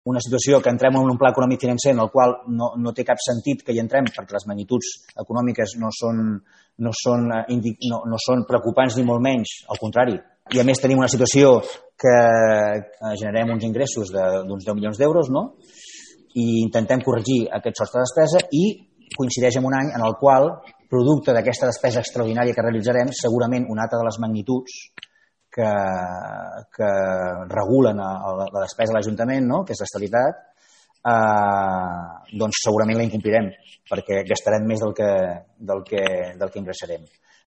una situació que entrem en un pla econòmic financer en el qual no té cap sentit que hi entrem perquè les magnituds econòmiques no són preocupants ni molt menys, al contrari. I a més tenim una situació que generem uns ingressos d'uns 10 milions d'euros, no? I intentem corregir aquest sostre de despesa i coincideix en un any en el qual, producte d'aquesta despesa extraordinària que realitzarem, segurament una altra de les magnituds que regulen la despesa de l'Ajuntament, no? Que és l'estabilitat, doncs segurament la incomplirem perquè gastarem més del que ingressarem.